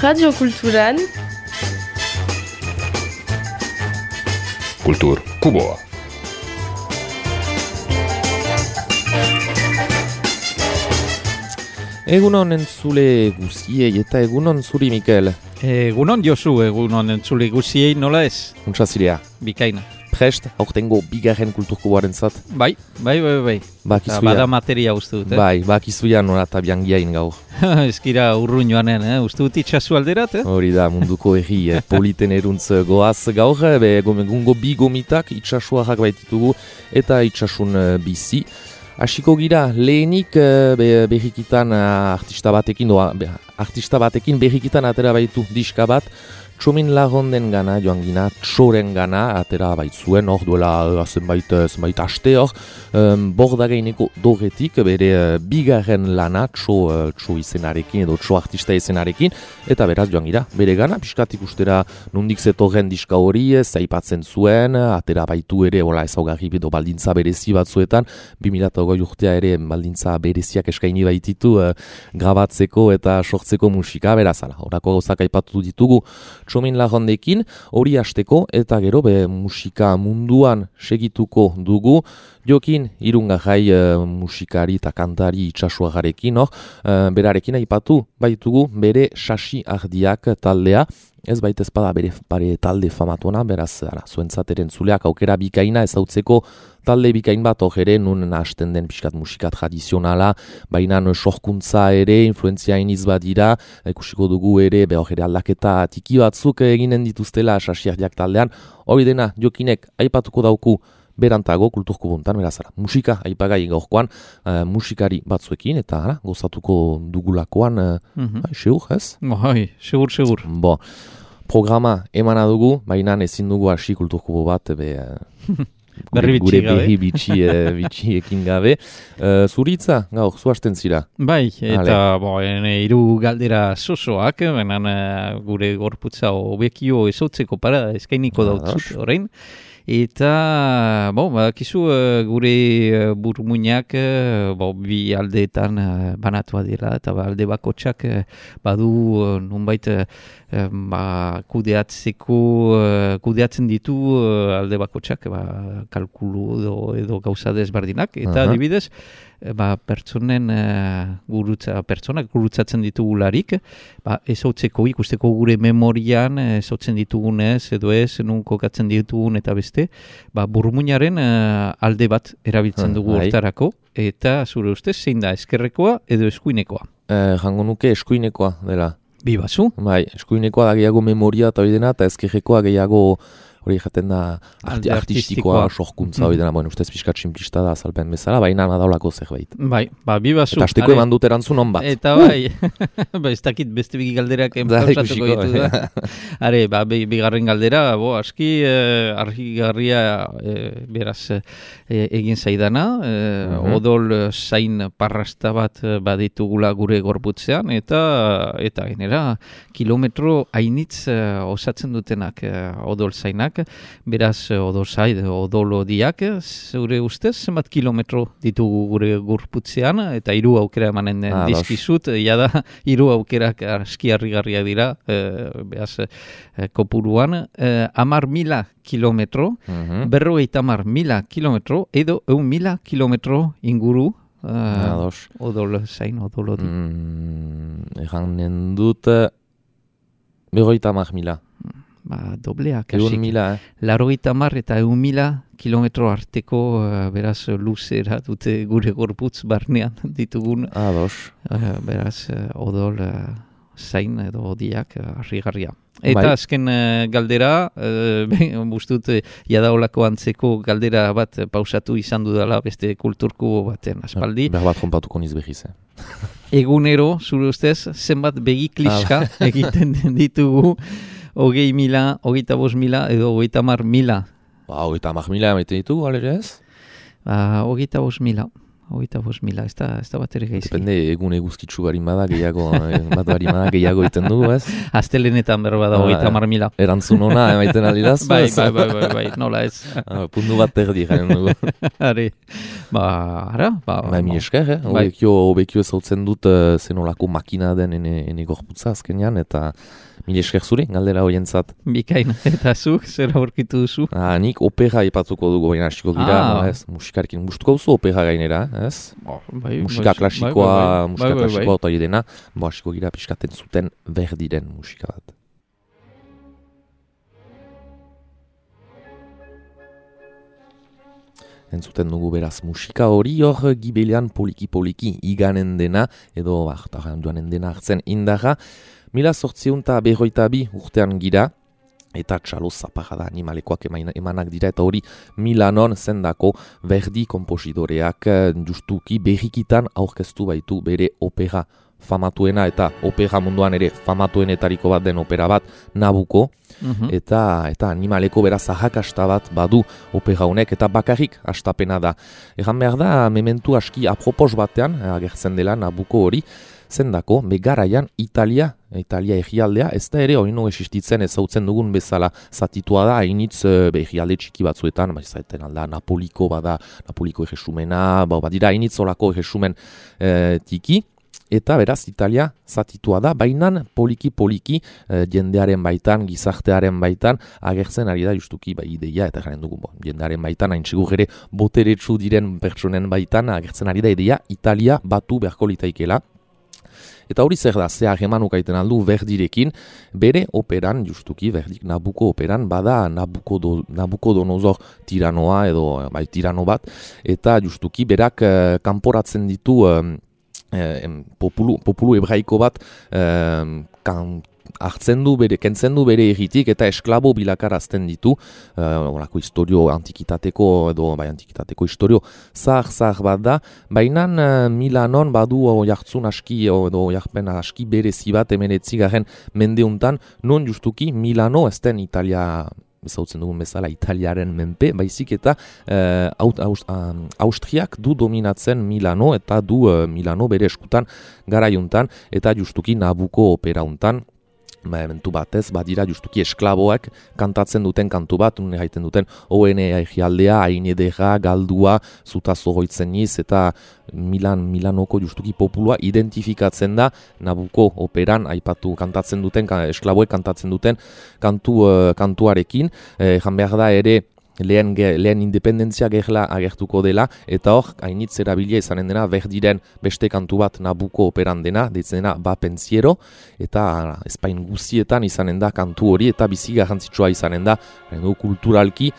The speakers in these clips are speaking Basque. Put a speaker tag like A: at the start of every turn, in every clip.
A: Radio Kulturan
B: Kultur Kuboa.
C: Egunon entzule guziei eta egunon zuri, Mikel.
D: Egunon Josu, egunon entzule guziei nola ez?
C: Untsazirea.
D: Bikaina.
C: Prest, aurtengo bigarren kulturkuboaren zat.
D: Bai.
C: Bakizuia.
D: Bada materia uste dut,
C: Bai, bakizuia nola eta biangiain gaur.
D: Ezkira urrun joanen, uste dut itxasu alderat,
C: Hori da, munduko erri politen eruntz goaz gaur, egungo bi gomitak itxasuarrak baititugu eta itxasun bizi. Hasiko gira, lehenik berrikitan artista batekin berrikitan atera baitu diska bat, Txomin Larronden gana, joan gina, Txoren gana, atera baitzuen, hor duela zenbait aste hor, Bordagaineko Dorretik, bere bigarren lana, Txo izenarekin edo Txo artista izenarekin, eta beraz joan gira, bere gana, pixkatik ustera nondik zetorren diska hori, zaipatzen zuen, atera baitu ere, ezaugarri edo baldintza berezi batzuetan, 2008 urtea ere baldintza bereziak eskaini baititu, grabatzeko eta sortzeko musika, beraz, horako gauzak aipatu ditugu, Txomin Larrondekin, hori hasteko eta gero musika munduan segituko dugu, jokin irungarrai musikari eta kantari itxasuagarekin, berarekin aipatu baitugu bere Sasi Ardiak taldea, ez baita ezpada bere talde famatuena, beraz zuentzat erentzuleak aukera bikaina ezautzeko talde bikain bat ere nun hasten den pixkat musika tradizionala, baina sorkuntza ere, influenzia iniz badira, ikusiko dugu ere, ere aldaketa tiki batzuk eginen dituztela Sasi Ardiak taldean, hori dena jokinek aipatuko dauku berantago kulturkubuntan, berazara, musika aipagai gaurkoan, musikari batzuekin, eta gozatuko dugulakoan, segur, ez?
D: Bai, segur.
C: Bo, programa emana dugu, baina ezin dugu hasi kulturkubo bat, gure berri bitxiekin gabe. Zuritza, gaur, zuhasten zira?
D: Bai, eta hiru galdera sosoak, benen gure gorputza hobekio ezotzeko para eskainiko dautzut orain. Eta, badakizu gure burmuinak bi aldeetan banatua dira, eta alde bakotxak badu nunbait kudeatzen ditu alde bakotxak kalkulu edo gauza desberdinak, eta adibidez, pertsonak gurutzatzen ditugularik, ezautzeko ikusteko gure memorian ezautzen ditugunez, edo ez, nun kokatzen ditugun eta beste, burmuinaren alde bat erabiltzen dugu hortarako, eta zure ustez, zein da, eskerrekoa edo eskuinekoa?
C: Jango nuke eskuinekoa dela.
D: Bi bazu?
C: Bai, eskuinekoa da gehiago memoria eta hori dena, eta ezkerrekoa gehiago hori jaten da artistikoa, sorkuntza hori dena, ustez pixkat simplista da azalpen bezala, baina nadaulako zerbait.
D: Bai, bi bazu.
C: Eta hasteko eman dut erantzun hon bat.
D: Eta bai, ez dakit beste bigi galderak enpausatuko ditu da. Are, bigarren galdera, aski argigarria beraz egin zaidana, odol zain parrasta bat baditugula gure gorputzean, eta genera kilometro hainitz osatzen dutenak odol zainak, beraz odolodiak, zure ustez, zenbat kilometro ditugu gure gorputzean, eta 3 aukera emanen dizkizut, jada 3 aukerak aski harrigarriak dira, beraz kopuruan, 10.000 kilometro, 50.000 kilometro, edo 1.000 kilometro inguru, odol zain, odolodi.
C: Eganen dut 50.000.
D: Dobleak.
C: 1.000,
D: 80 eta 1.000 kilometro arteko, beraz, luzera dute gure gorputz barnean ditugun. Beraz, odol zain edo odiak harrigarria. Eta azken galdera, bustut, jadaolako antzeko galdera bat pausatu izan dudala beste kulturku baten aspaldi.
C: Behar bat konpatuko niz behiz,
D: Egunero, zure ustez, zenbat begi kliska egiten ditugu, 20.000, 25.000 edo 30.000.
C: 30.000 emaiten ditugu, alere ez?
D: 25.000. 25.000, ez da bat ere gaizki.
C: Depende, egun eguzkitzu barin bada, gehiago, bat barin bada, gehiago iten dugu, ez?
D: Astelenetan berba da 30.000.
C: Erantzun ona, emaiten aldidaz?
D: Bai, nola ez.
C: Puntu bat terdi jaren dugu.
D: Ari,
C: mi esker, obekio ezautzen dut zenolako makina den ene gorputza azkenean, eta mi esker zuri, galdera horientzat.
D: Bikain, eta zuk, zer aurkitu duzu?
C: Nik opera ipatuko dugu, baina hasiko gira, musikarekin, gustuko duzu opera gainera, ez? Musika klasikoa, eta idena, hasiko gira piskaten zuten Verdiren musika bat. Entzuten dugu beraz musika hori hor gibelean poliki iganen dena, edo duanen dena hartzen indarra. 1852 urtean gira, eta txalo zaparra da animalekoak emanak dira, eta hori Milanon zendako Verdi komposidoreak justuki berrikitan aurkeztu baitu bere opera famatuena, eta opera munduan ere famatuenetariko bat den opera bat, Nabucco, eta animaleko beraz ahakasta bat badu opera honek, eta bakarrik hastapena da. Egan behar da, mementu aski apropos batean, agertzen dela Nabucco hori, zendako, begaraian Italia egialdea, ez da ere oino existitzen ezautzen dugun bezala zatitua da, hainitz egialde txiki batzuetan, zaiten alda Napoliko bada, Napoliko egesumena, badira hainitz olako egesumen tiki, eta beraz Italia zatitua da, bainan poliki jendearen baitan, gizartearen baitan, agertzen ari da justuki ideia, eta jaren dugu, jendearen baitan, hain txigur ere boteretsu diren pertsonen baitan, agertzen ari da ideia Italia batu beharko litaikela. Eta hori zer da, ze hagemanuk aiten aldu Verdirekin, bere operan, justuki, Verdik Nabucco operan, bada Nabucodonosor tiranoa, edo tirano bat, eta justuki berak kanporatzen ditu populu hebraiko bat kentzen du bere egitik eta esklabo bilakarazten ditu, orako historio antikitateko edo antikitateko historio zahar bat da, baina Milanon badu jartzun aski edo jarpen aski berezi bat emenetzigarren mendeuntan, non justuki Milano ez den Italia ezautzen dugun bezala Italiaren menpe, baizik eta Austriak du dominatzen Milano, eta du Milano bere eskutan garaiuntan, eta justuki Nabucco operauntan, mentu batez, badira justuki esklaboak kantatzen duten kantu bat, nune gaiten duten ONE egialdea, hain edera, galdua, zutazo goitzen niz, eta Milanoko justuki populua identifikatzen da Nabucco operan aipatu kantatzen duten, esklaboek kantatzen duten kantuarekin, jan behar da ere, lehen independentzia gerla agertuko dela, eta hor, hainitz erabilia izanen dena, Verdiren beste kantu bat Nabucco operan dena, deitzen dena Ba Pensiero, eta Espain guztietan izanen da kantu hori, eta bizi garrantzitsua izanen da, kulturalki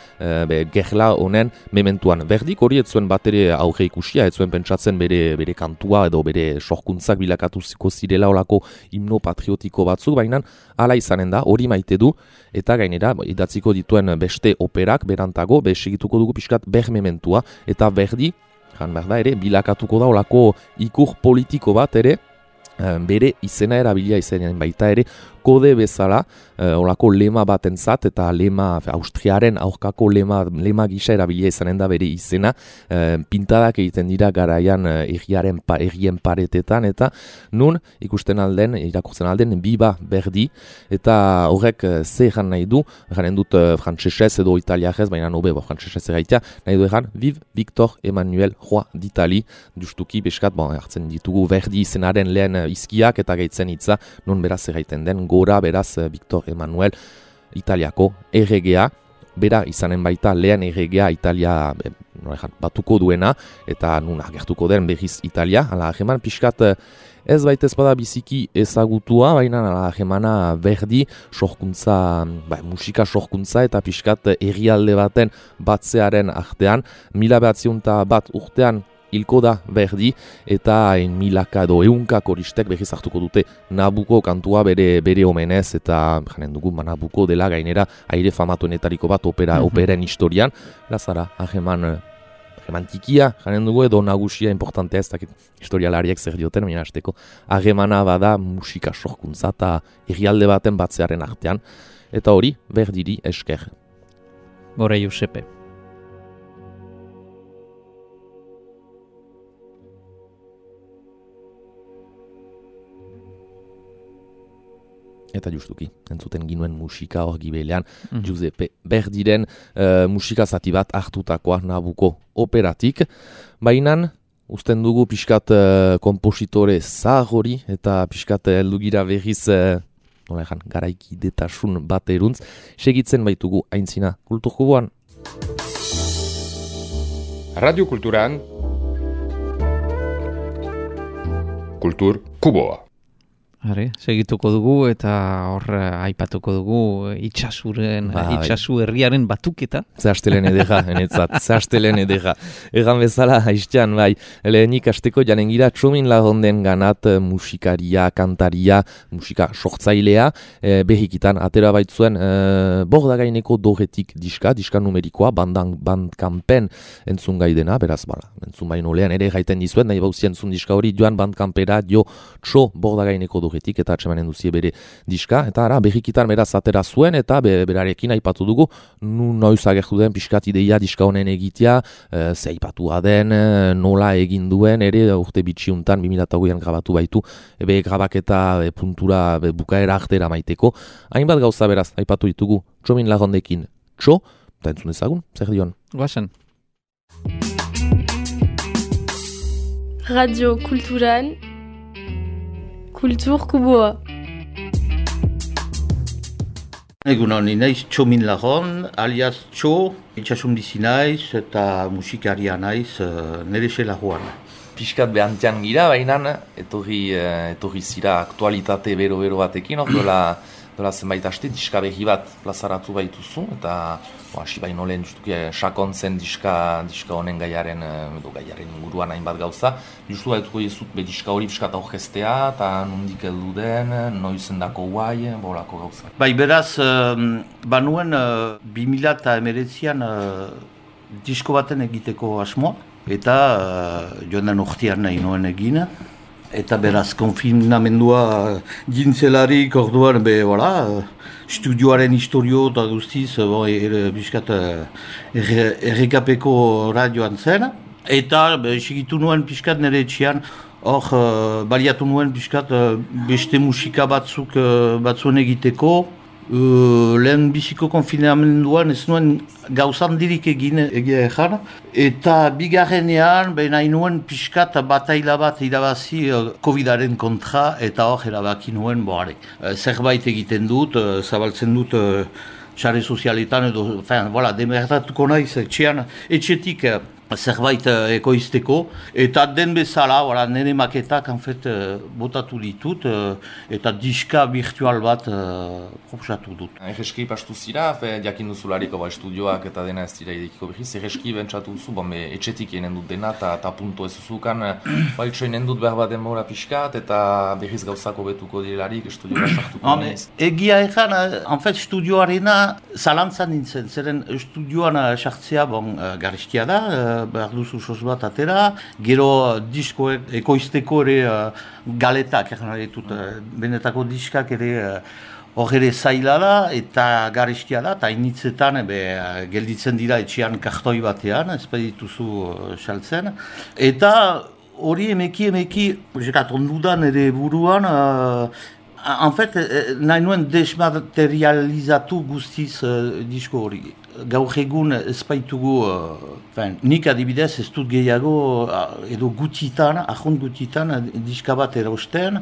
C: gerla honen mementuan. Verdik hori etzuen bat ere aurre ikusia, etzuen pentsatzen bere kantua, edo bere sorkuntzak bilakatuziko zirela olako himno patriotiko batzuk, baina hala izanen da, hori maite du, eta gainera, idatziko dituen beste operak, berantago, segituko dugu pixkat mementua, eta Verdi, jan behar da ere, bilakatuko da olako ikur politiko bat ere, bere izena erabilia izenean baita ere, kode bezala, olako lema batentzat, eta Austriaren aurkako lema gisa erabilia izanen da bere izena, pintadak egiten dira garaian errien paretetan, eta nun irakurtzen alden Biba Verdi, eta horrek ze egan nahi du, eganen dut frantsesez edo italiarez, baina nobe frantsesez egaitea, nahi du egan, Vive Victor Emmanuel Roi d'Italie, justuki beskat, hartzen ditugu Verdi izenaren lehen izkiak eta gaitzen hitza, nun beraz egaiten den, gora beraz Victor Emmanuel Italiako erregea, bera izanen baita lehen erregea Italia batuko duena, eta nun agertuko den berriz Italia, ala heman pixkat ez baitez bada biziki ezagutua, baina ala hemana Verdi sorkuntza, musika sorkuntza eta pixkat herrialde baten batzearen artean, 1901 urtean hilko da Verdi, eta milaka edo ehunka koristek berriz hartuko dute Nabucco kantua bere omenez, eta janen dugu Nabucco dela gainera aire famatuenetariko bat operen historian, lazara, hageman tikia, janen dugu edo nagusia importantea, ez dakit historialariek zer dioten, baina hasteko hagemana bada musika sorkuntza eta herrialde baten batzearen artean, eta hori Verdiri esker.
D: Gora Josepe.
C: Eta justuki, entzuten ginuen musika hor gibelean, Giuseppe Verdiren musika zati bat hartutakoa Nabucco operatik. Bainan, usten dugu pixkat kompositore zahar hori eta pixkat heldugira berriz garaikidetasun bat eruntz. Segitzen baitugu aintzina Kulturkuboan.
A: Radio Kulturan Kultur Kuboa.
D: Segituko dugu eta hor aipatuko dugu itxasu herriaren batuketa.
C: Zehaztelen edera, enetzat, zehaztelen edera. Egan bezala, haiztean, bai, lehenik asteko janen gira Txomin Larronden ganat musikaria, kantaria, musika sortzailea, behikitan, atera baitzuen Bordagaineko doretik diska numerikoa, bandkampen entzun gaidena, beraz, entzun baino lehan ere gaiten dizuen, nahi bauzien entzun diska hori joan bandkampera dio Txo Bordagaineko doretik eta atxemanen duzie bere diska, eta ara, behikitan beraz atera zuen, eta berarekin aipatu dugu, noiz agertu den pixkat ideia diska honen egitea, ze aipatua den, nola egin duen, ere urte bitxiuntan 2008an grabatu baitu, grabaketa puntura bukaera artera maiteko, hainbat gauza beraz, aipatu ditugu Txomin Larrondekin Txo, eta entzun ezagun, zer dion?
D: Guazen.
B: Radio Kulturan Kultur Kuboa.
E: Egun honi naiz Txomin Larron, alias Txo, itxasun bizi naiz eta musikaria naiz nire xelagoan.
C: Piskat behantean gira, baina etorri zira aktualitate bero batekin, dola zenbait aste diska behi bat plazaratu baituzu, eta hasi baino lehen justuki sakontzen diska honen gaiaren inguruan hainbat gauza. Justu baituko dizut diska hori piskat aurkeztea, eta nondik heldu den, noizendako guai, bolako gauza.
E: Bai, beraz, banuen 2019an disko baten egiteko asmoa, eta joan den urtean nahi noen egin. Eta beraz, konfinamendua gintzelarik orduan, studioaren historio eta guztiz, biskat errekapeko radioan zen. Eta segitu nuen piskat nire etxean, hor baliatu nuen piskat beste musika batzuen egiteko. Lehen biziko konfinamenduan ez nuen gauzan dirik egin egia ezan. Eta bigarrenean, nahi nuen piskat bataila bat irabazi COVID-aren kontra, eta hor erabaki nuen, zerbait egiten dut, zabaltzen dut sare sozialetan edo, demertatuko naiz etxetik zerbait ekoizteko, eta den bezala, nire maketak botatu ditut, eta diska virtual bat proposatu dut.
C: Erreski pastu zira, jakin duzulariko estudioak eta dena ez dira idekiko behiz, erreski bentsatu duzu, etxetik enen dut dena, eta punto ez duzukan, itxo enen dut behar bat denbora pixkat, eta behiz gauzako betuko direlarik, estudioa sartuko nez.
E: Egia ezan, estudioarena zalantzan nintzen, zeren estudioan sartzea garestia da, behar duzu sos bat atera, gero diskoek ekoizteko ere galetak, benetako diskak ere hor ere zaila da eta garestia da, eta initzetan gelditzen dira etxean kartoi batean, ez badituzu saltzen. Eta hori emeki, ondudan ere buruan, nahi nuen desmaterializatu guztiz disko hori. Gaur egun ez baitugu, nik adibidez ez dut gehiago edo gutitan, ahont gutitan diska bat erosten,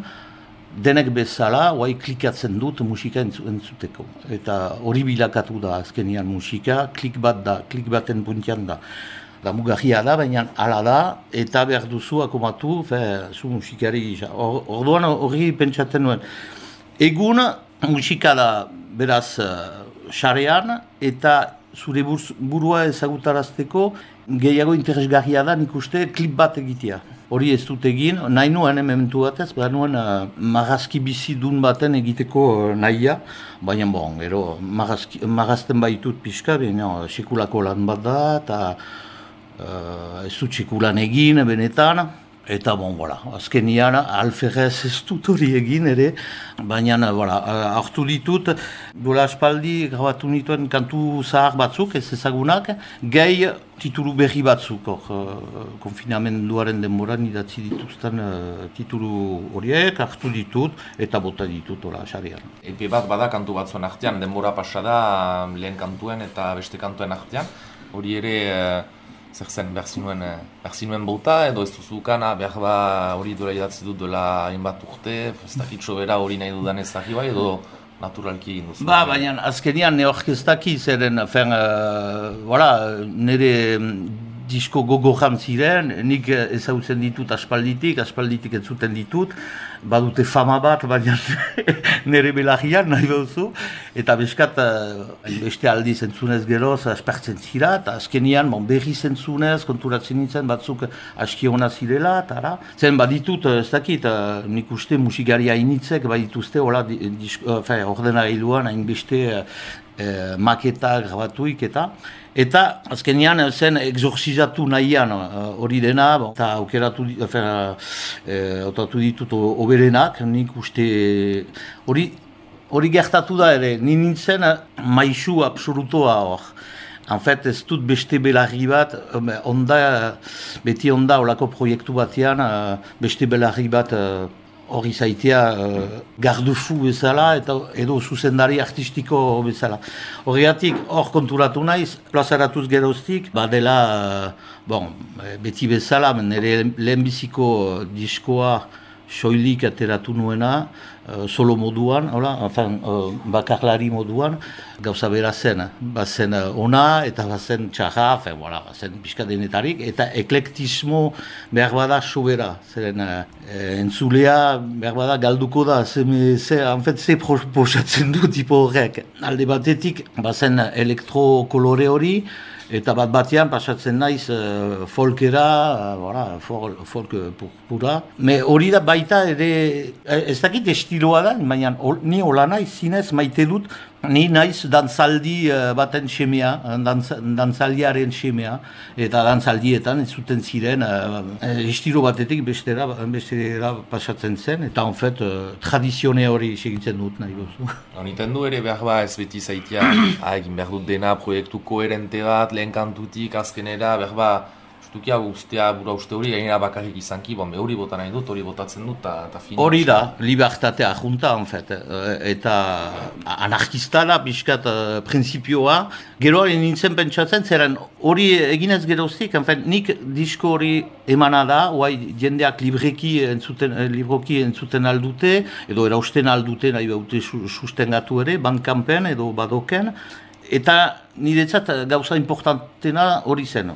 E: denek bezala, klikatzen dut musika entzuteko. Eta hori bilakatu da azkenian musika, klik baten puntian da. Da mugarria da, baina ala da, eta behar duzu akomatu, zu musikari. Orduan hori pentsatzen nuen. Egun musika da beraz xarean, eta zure burua ezagutarazteko gehiago interesgarria da nik uste klip bat egitea. Hori ez dut egin, nahi nuen momentu batez, behar nuen marrazki bizidun baten egiteko nahia, baina gero marrazten baitut pixka, baina sekulako lan bat da, eta ez dut sekulan egin benetan, Eta, azkenian, alferrez ez dut hori egin ere, baina, hartu ditut, dola aspaldi grabatu nituen kantu zahar batzuk, ez ezagunak, gehi titulu berri batzuk, konfinamenduaren denboran idatzi dituzten titulu horiek, hartu ditut, eta bota ditut, xarean.
C: Epe bat bada kantu batzuen artean, denbora pasada lehen kantuen eta beste kantuen artean, hori ere... Zer zen, behar zinuen bauta, edo ez duzukana, behar hori dola idatzi dut dola hainbat urte, ez dakitxo bera hori nahi dudan ez daki bai, edo naturalki egin duzu?
E: Baina azkenean neorkestaki zeren, nire disko gogojan ziren, nik ezagutzen ditut aspalditik ez zuten ditut, badute fama bat, baina nire belarrian nahi behuzu, eta beskat beste aldi zentzunez geroz aspertzen zira, eta azkenian berri zentzunez, konturatzen nintzen batzuk aski hona zirela, eta zen baditut, ez dakit, nik uste musikari hainitzek badituzte, ordenagailuan hainbeste maketak grabatuik eta azkenean zen exorcizatu nahian hori dena, eta autatu ditut oberenak, nik uste hori gertatu da ere, nintzen maisu absolutoa hor. En fait, ez dut beste belarri bat, beti onda olako proiektu batean, beste belarri bat hori zaitea gardufu bezala edo zuzendari artistiko bezala. Horregatik hor konturatu naiz, plazaratuz geroztik, badela, beti bezala, nire lehenbiziko diskoa soilik ateratu nuena, solo moduan, bakarlari moduan, gauza bera zen. Bazen ona eta bazen txarra, bazen pixkadenetarik, eta eklektismo behar bada sobera. Zeren entzulea behar bada galduko da, ze proposatzen du tipo horrek. Alde batetik, bazen elektrokolore hori, eta batean pasatzen naiz folkera, folk pura. Hori da baita ere, ez dakit estiloa da, baina ni hola naiz zinez maite dut, ni naiz dantzaldi baten semea, dantzaldiaren semea, eta dantzaldietan ez zuten ziren estilo batetik bestera pasatzen zen, eta en fait tradizione hori segitzen dut nahi gozu.
C: Honiten du ere behar ez beti zaitia, egin behar dut dena proiektu koherente bat, lehen kantutik azkenera, behar Justukia ustea bura uste hori gainera bakarrik izanki, hori bota nahi dut, hori botatzen dut, eta fin...
E: Hori da, libertatea junta, en fait, eta anarkista da, biskat prinsipioa. Gero hori nintzen pentsatzen, zeren hori eginez geroztik, en fait, nik disko hori emana da, jendeak libroki entzuten aldute, edo erausten aldute nahi baute sustengatu ere, bandkampen edo badoken, eta niretzat gauza importantena hori zen.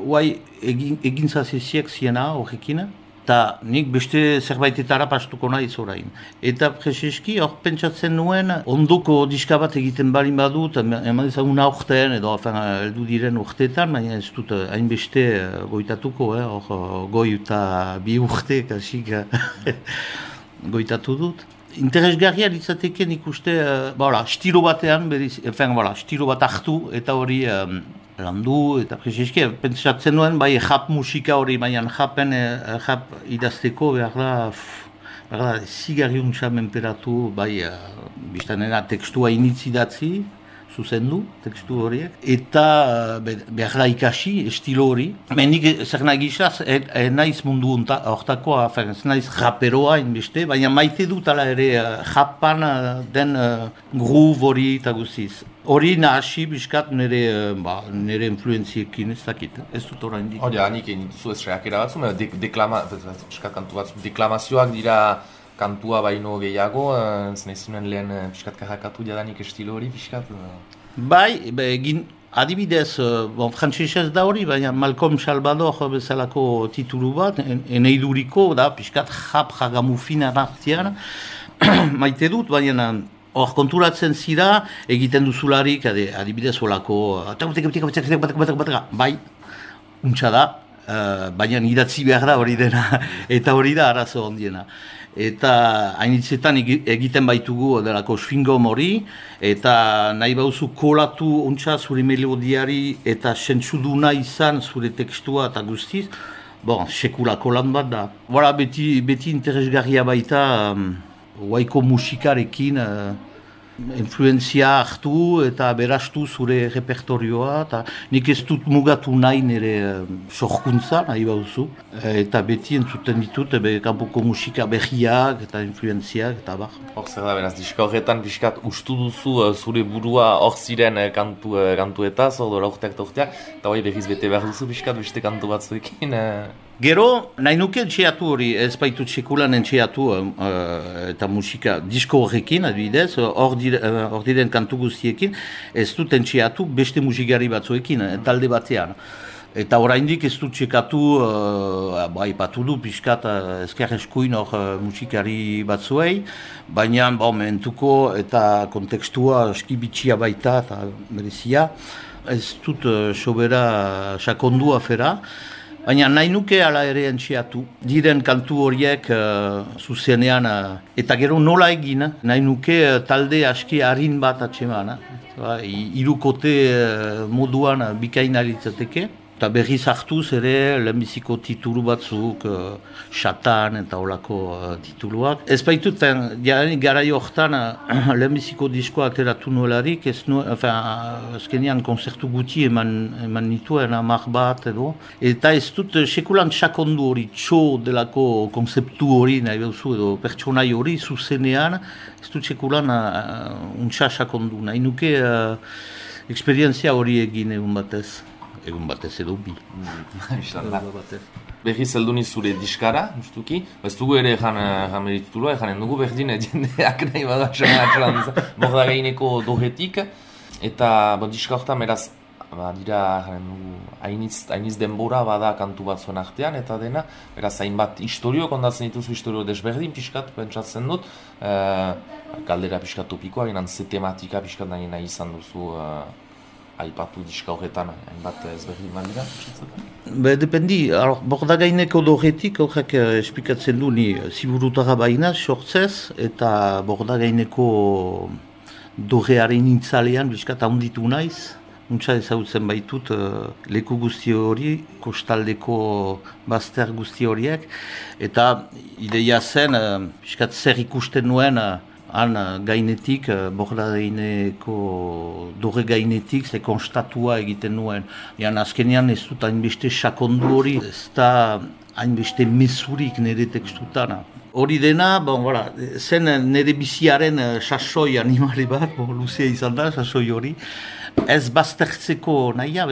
E: Egin zazeziek ziena horrekin, eta nik beste zerbaitetara pastuko nahiz orain. Eta prezeski hor pentsatzen nuen, ondoko diska bat egiten balin badut, eman ezagun aurten, edo heldu diren urteetan, baina ez dut hainbeste goitatuko, goi eta 2 urte, kasik goitatu dut. Interesgarria litzateke nik uste, stilo batean, stilo bat hartu eta hori landu, eta prezeski, pentsatzen nuen, jap musika hori, baina jap idazteko behar da, zigarriuntza menperatu, biztanena tekstua initzidatzi, zuzendu, tekstu horiek, eta behar da ikasi, estilo hori. Nik zer nahi gizaz, naiz mundu hortakoa, ez naiz raperoa inbeste, baina maite dut ala ere japan den groove hori eta guztiz. Hori nahasi biskat nire influenziekin ez dakit, ez dut orain dik.
C: Hori, hanik egin duzu ez reakera batzu, deklamazioak dira kantua baino gehiago, zinezinen lehen piskat karrakatu jadanik estilo hori piskat?
E: Adibidez, frantzesez da hori, baina Malcolm Salvador bezalako titulu bat, eneiduriko, da, piskat jagamufina nartian, maite dut, baina hor konturatzen zira, egiten duzularik, adibidez holako, bai, untsa da, baina idatzi behar da hori dena, eta hori da arazo ondiena. Eta hainitzetan egiten baitugu delako swingom hori, eta nahi bauzu kolatu ontsa zure melodiari eta sentsuduna izan zure tekstua eta guztiz, sekulako lan bat da. Voilà, beti interesgarria baita, waiko musikarekin, influenzia hartu eta berastu zure repertorioa, eta nik ez dut mugatu nahi nire sorkuntza, nahi bauzu, eta beti entzuten ditut, kanpoko musika berriak eta influenziak, eta bar.
C: Hor zer da, beraz, diska horretan pixkat ustu duzu zure burua hor ziren kantuetaz, hor dola urteak, eta hori behiz bete behar duzu pixkat beste kantu batzuekin.
E: Gero, nahi nuke entxeatu hori, ez baitut sekulan entxeatu eta musika disko horrekin, adibidez, hor diren kantu guztiekin, ez dut entxeatu beste musikari batzuekin, talde batean. Eta oraindik ez dut txekatu, aipatu du pixkat ezker eskuin hor musikari batzuei, baina momentuko eta kontekstua eskibitxia baita eta merezia, ez dut sobera sakondu afera. Baina nahi nuke ala ere entxeatu, diren kantu horiek zuzenean, eta gero nola egin, nahi nuke talde aski harin bat atseman, hirukote moduan bikaina litzateke. Eta berriz hartuz ere lehenbiziko titulu batzuk, Xatan eta olako tituluak. Ez baitut, garai horretan lehenbiziko diskoa ateratu nuelarik, azkenean konzertu guti eman nituen 10 bat edo. Eta ez dut sekulan sakondu hori, txo delako konzeptu hori nahi behuzu edo pertsonai hori zuzenean, ez dut sekulan untsa sakondu. Nahi nuke eksperientzia hori egin egun batez. Egun batez edo bi.
C: Berriz helduni zure diskara, justuki. Ez dugu ere egan meritutulua, eganen dugu berdin jendeak nahi bada atxalan borda gaineko dohetik. Eta diska horretan beraz, dira hainiz denbora bada kantu batzuen artean, eta dena, beraz hainbat historio, kondatzen dituzu historio desberdin pixkat, pentsatzen dut. Galdera pixkat topikoa, ginen ze tematika pixkat nahi izan duzu aipatu diska horretan, hainbat ezberdin badira?
E: Dependi, borda gaineko dohetik horrek esplikatzen du ni ziburutara baina sortzez, eta borda gaineko dohearen intzalean biskat handitu naiz. Untsa ezagutzen baitut leku guzti hori, kostaldeko bazter guzti horiek, eta ideia zen, biskat zer ikusten nuen, han gainetik, borda gaineko dore gainetik, ze konstatua egiten nuen. Azkenean ez dut hainbeste sakondu hori, ez da hainbeste mesurik nire tekstutan. Hori dena, zen nire biziaren sasoi animali bat, luzea izan da, sasoi hori. Ez baztertzeko nahia,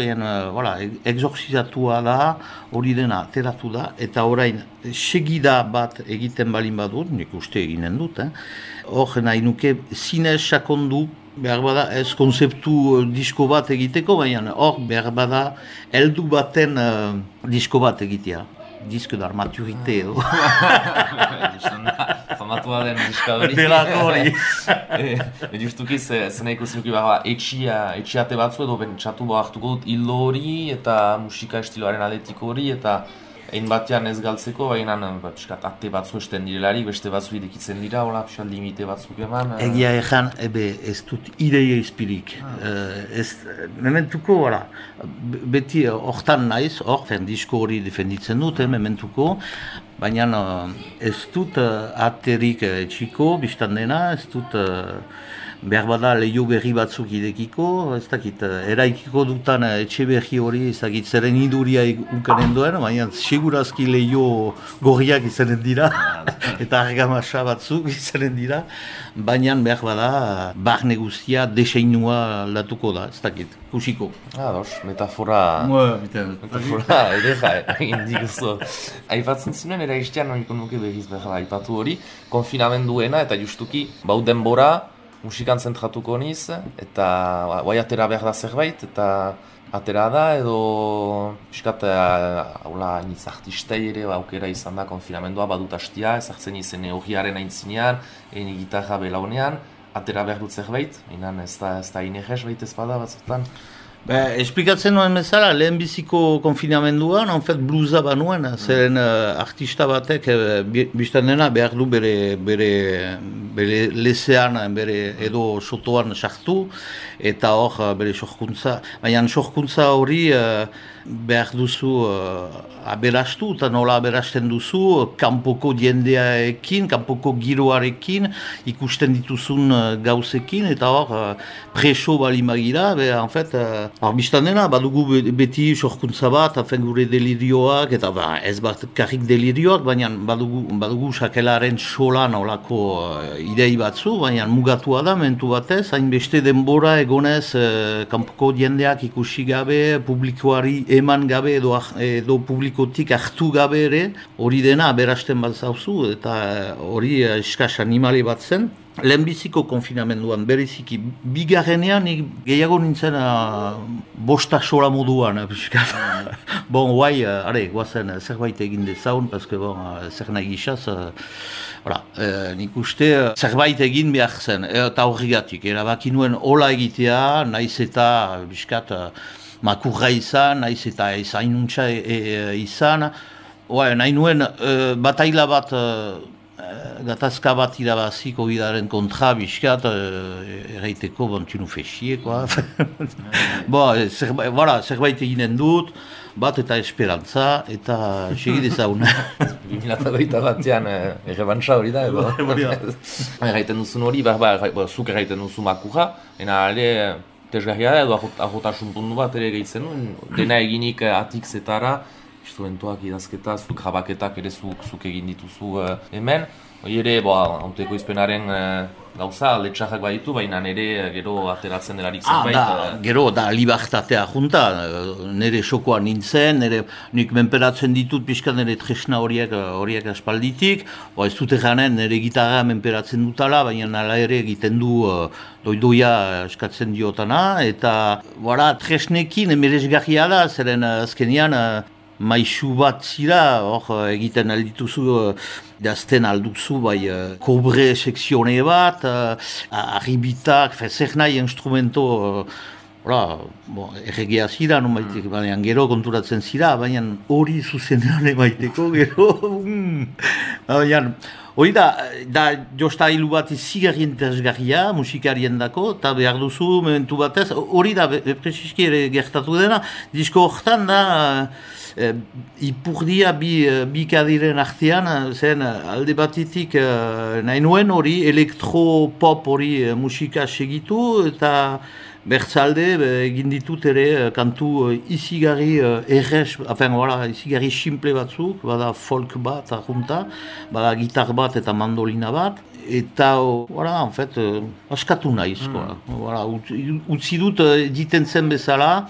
E: exorcizatua da, hori dena ateratu da, eta orain segida bat egiten balin badut, nik uste eginen dut, hor nahi nuke zinez sakondu, behar bada ez konzeptu disko bat egiteko, baina hor behar bada heldu baten disko bat egitea. Disko d'armaturite edo.
C: Famatua den diska hori.
E: Delako hori.
C: Justuki zena ikusinuki etxiate batzu edo bentsatu hartuko dut hildo hori eta musika estiloaren aletiko hori eta egin batean ez galtzeko, baina ate batzu esten direlarik, beste batzu irekitzen dira, hola, limite batzuk eman.
E: Egia egan, ez dut ideia izpirik. Mementuko, beti hortan naiz, disko hori defenditzen dut, mementuko, baina ez dut aterik txiko, biztan dena, ez dut behar bada lehio berri batzuk idekiko, ez dakit, eraikiko dutan etxe berri hori, ez dakit, zeren iduria unkanen duen, baina segurazki lehio gorriak izanen dira, eta argamasa batzuk izanen dira, baina behar bada barne guztia deseinua aldatuko da, ez dakit, kusiko.
C: Metafora edera egin diguzu. Aipatzen zinuen, eraiztean nahiko nuke behiz behar aipatu hori, konfinamenduena eta justuki, bau denbora, musikan zentratuko niz, eta guai atera behar da zerbait, eta atera da, edo piskat iniz artistei ere aukera izan da konfinamendua badut hastia, ezartzen izen horriaren aintzinean, egin gitarra belaunean, atera behar dut zerbait, inan ez da inerrez baita ezpada batzutan.
E: Esplikatzen nuen bezala, lehenbiziko konfinamenduan, bluza banuen, zeren artista batek, biztan dena, behar du bere lezean, bere edo sotoan sartu, eta hor bere sorkuntza. Baina sorkuntza hori behar duzu aberastu, eta nola aberasten duzu, kanpoko jendeaekin, kanpoko giroarekin, ikusten dituzun gauzekin, eta hor preso balimagira, biztan dena, badugu beti sorkuntza bat, gure delirioak, eta ez bat karrik delirioak, baina badugu sakelaren solan olako idei batzu, baina mugatua da, mentu batez, hainbeste denbora egonez kanpoko jendeak ikusi gabe, publikoari eman gabe edo publikotik hartu gabe ere, hori dena aberasten bat zauzu, eta hori eskas animali bat zen. Lehenbiziko konfinamenduan, bereziki, bigarrenean gehiago nintzen bosta sola moduan. Bon, guai, guazen zerbait egin dezaun, paske zer nahi gizaz, nik uste zerbait egin behar zen, eta horregatik, erabaki nuen hola egitea, naiz eta biskat makurra izan, naiz eta ezainuntza izan, nahi nuen bataila bat, gatazka bat irabazi COVID-aren kontra bizkat, erraiteko tu fexie, zerbait eginen dut, bat eta esperantza, eta segidezaun.
C: 2021 batean errebantza hori da, edo? Erraiten duzun hori, zuk erraiten duzu makurra, ere tesgarria da, edo ahotasun puntu bat ere gehitzen nuen, dena eginik atikzetara, instrumentuak idazketa, zuk jabaketak ere zuk egin dituzu hemen. Hori ere, hauteko izpenaren gauza, letxarrak baditu, baina nire gero ateratzen delarik zerbait.
E: Gero, da libertatea junta, nire sokoa nintzen, nik menperatzen ditut pixka nire tresna horiek aspalditik, ez dute janen nire gitarra menperatzen dutala, baina nala ere egiten du doidoia eskatzen diotana, eta tresnekin emeresgarria da, zeren azkenean, maisu bat zira, egiten aldituzu, dazten alduzu, kobre sekzione bat, arribitak, zer nahi instrumento, erregea zira, baina gero konturatzen zira, baina hori zuzenean emaiteko, gero, hori da josta hilu bat zigarri interesgarria, musikarien dako, eta behar duzu, momentu batez, hori da, preziski ere gertatu dena, disko horretan da, ipurdia bi kadiren artean, zen alde batetik nahi nuen hori elektro-pop hori musika segitu, eta bertzalde egin ditut ere kantu izigarri errez, izigarri simple batzuk, bada folk bat arrunta, bada gitar bat eta mandolina bat, eta, askatu nahiz, utzi dut diten zen bezala.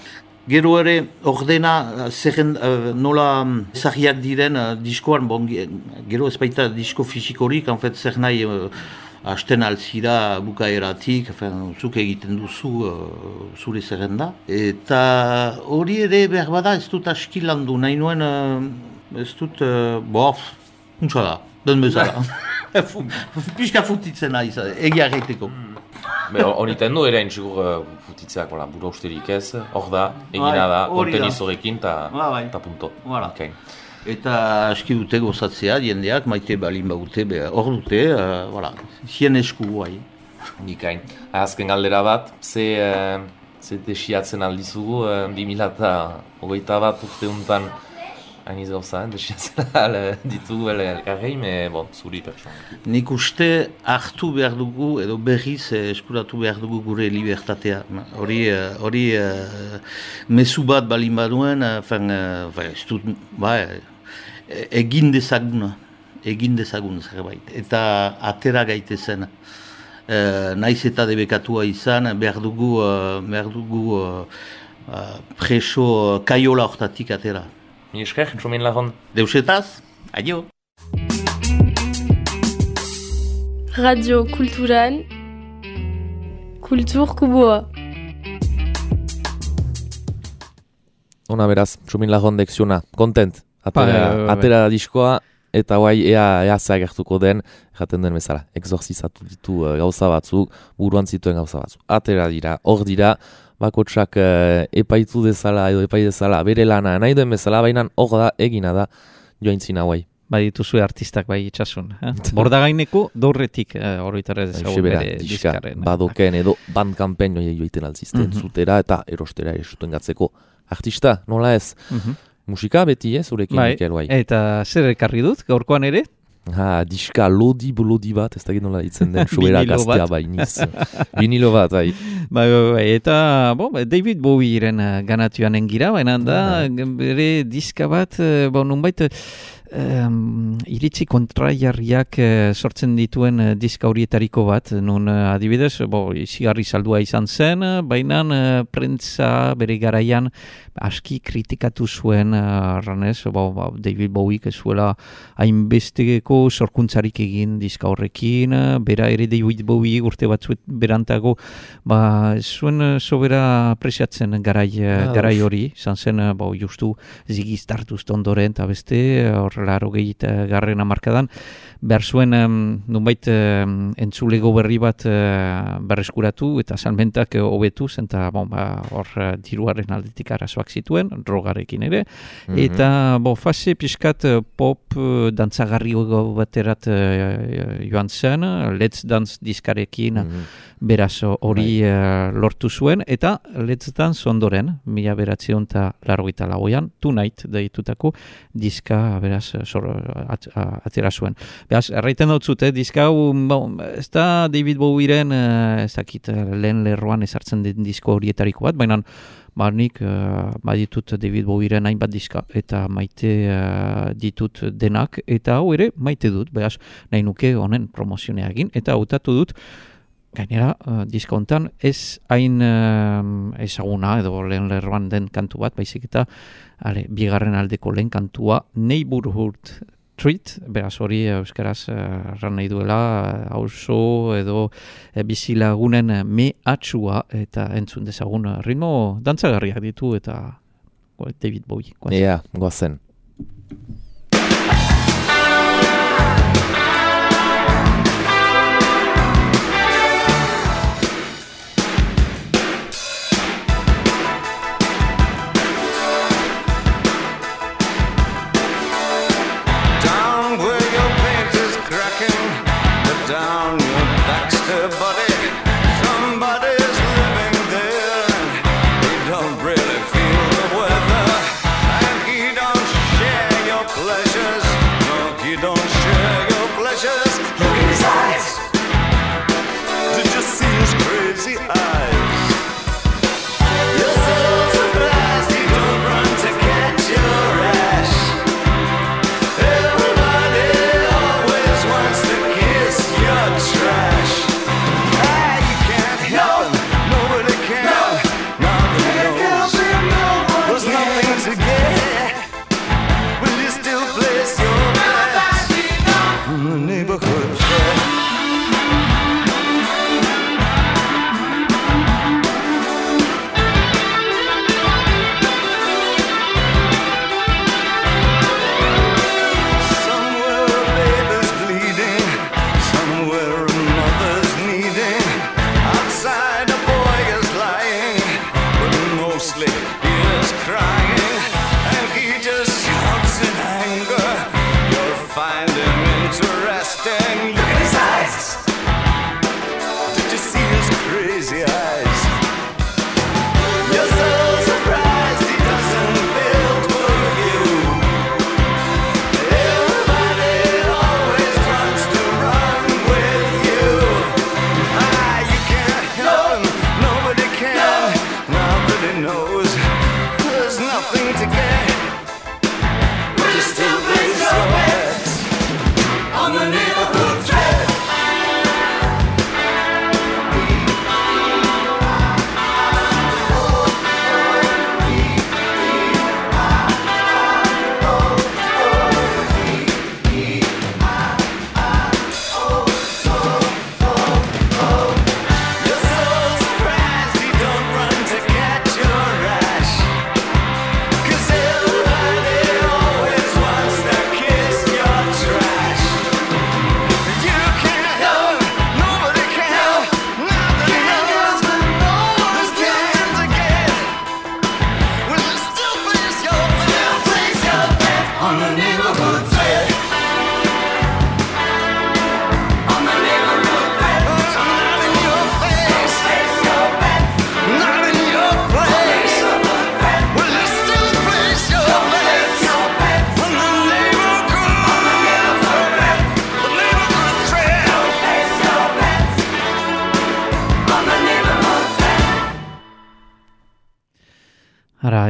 E: Gero ere, ordena, nola zahiak diren diskoan, gero ez baita disko fizikorik, zer nahi hasten alzira bukaeratik, zuk egiten duzu zure zerrenda. Eta hori ere behar bada ez dut aski landu, nahi nuen ez dut, untsa da, den bezala. Pixka futitzen nahi, egia egiteko.
C: Horiten du ere intzigur futitzeak, buru austerik ez, hor da, egina da, konteniz horrekin eta punto.
E: Eta aski dute gozatzea, jendeak, maite balin baute, hor dute, zien esku guai.
C: Nikain. Azken galdera bat, ze desiatzen aldizugu, 2021 urte untan, hainiz gauza, desiatzen ditugu elkarrein, zuri pertsona.
E: Nik uste hartu behar dugu, edo berriz eskuratu behar dugu gure libertatea. Hori mezu bat balin baduen, egin dezagun zerbait. Eta atera gaitezen. Naiz eta debekatua izan, behar dugu preso kaiola hortatik atera.
C: Esker, Txomin Lajon.
E: Deusetaz, adio.
B: Radio Kulturan, Kultur Kuboa.
C: Ona beraz, Txomin Lajon dekziona, kontent. Atera diskoa, eta guai ea zagertuko den, jaten den bezala, exorzizatu ditu gauza batzuk, buruan zituen gauza batzuk. Atera dira, hor dira, bakotsak epaitu dezala edo epai dezala bere lana nahi duen bezala, baina hor da egina da joaintzin hauai.
D: Dituzue artistak itxasun. Bordagaineko dorretik horretara ezagun bere diskarren.
C: Badoken edo bandkampen joiten altzizten zutera eta erostera esuten gatzeko artista, nola ez? Musika beti zurekin Mikel bai.
D: Eta zer ekarri dut, gaurkoan ere?
C: Diska lodi bat, ez dakit nola ditzen den, sobera gaztea bainiz. Vinilo bat, bai.
D: Eta David Bowieren ganatuan engira, baina da bere diska bat, nunbait, iritzi kontraiarriak sortzen dituen diska horietariko bat, nun adibidez, izigarri saldua izan zen, baina prentza bere garaian aski kritikatu zuen ranez, David Bowiek zuela hainbesteko sorkuntzarik egin diska horrekin, bera ere David Bowie urte batzuet berantago, zuen sobera apresiatzen garai hori, izan zen, justu Ziggy Stardust ondoren, eta beste, laro garren hamarkadan, behar zuen nunbait entzulego berri bat berreskuratu eta salmentak hobetuz, eta hor diruaren aldetik arazoak zituen, drogarekin ere, eta fase pixkat pop dantzagarri baterat joan zen, Let's Dance diskarekin beraz hori lortu zuen, eta Let's Dance ondoren, 1984an, Tonight deitutako diska beraz atera zuen. Beraz, erraiten dut zute, diska hau, ez da David Bowieren, ez dakit, lehen lerroan ezartzen den disko horietariko bat, baina nik ditut David Bowieren hainbat diska, eta maite ditut denak, eta hau ere maite dut, beraz, nahi nuke honen promozionea egin, eta hautatu dut, gainera, diska hontan ez hain ezaguna edo lehen lerroan den kantu bat, baizik eta bigarren aldeko lehen kantua Neighborhood Treat, beraz hori euskaraz erran nahi duela, auzo edo bizilagunen mehatxua eta entzun dezagun ritmo dantzagarriak ditu eta David Bowie.
C: Goazen.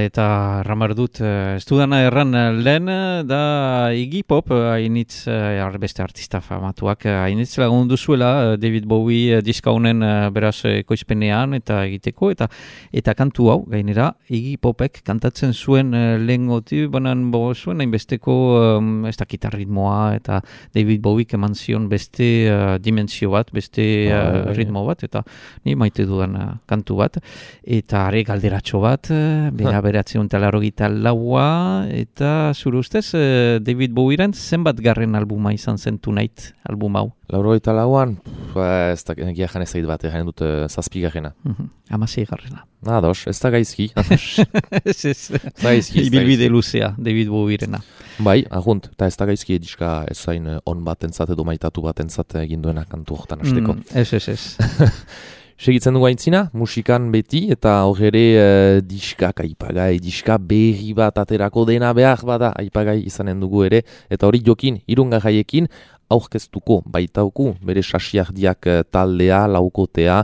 D: eta ramar dut, ez dudana erran lehen, da Iggy Pop, hainitz, beste artista famatuak, hainitz lagundu zuela David Bowie diska honen beraz ekoizpenean eta egiteko, eta kantu hau, gainera, Iggy Popek kantatzen zuen lehen goti, banan zuen hainbesteko, ez dakit ritmoa, eta David Bowiek eman zion beste dimensio bat, beste ritmo bat, eta ni maite dudan kantu bat, eta are galderatxo bat, beratzeun talarrogita laua, eta zure ustez, David Bowieren zenbat garren albuma izan zen Tonight album hau?
C: Laurogita lauan, ez da egia jan ezait bat, egin dut 7 garrena.
D: 16 garrena.
C: Ados, ez da gaizki.
D: Ibilbide luzea, David Bowierena.
C: Bai, agunt, eta ez da gaizki ediska ez zain on batentzat edo maitatu batentzat egin duena kantu horretan hasteko.
D: Ez.
C: Segitzen dugu aintzina, musikan beti, eta horre diskak aipagai, diska berri bat aterako dena behar bada aipagai izanen dugu ere, eta hori jokin, irungarraiekin, aurkeztuko baitauku, bere sasiardiak taldea, laukotea,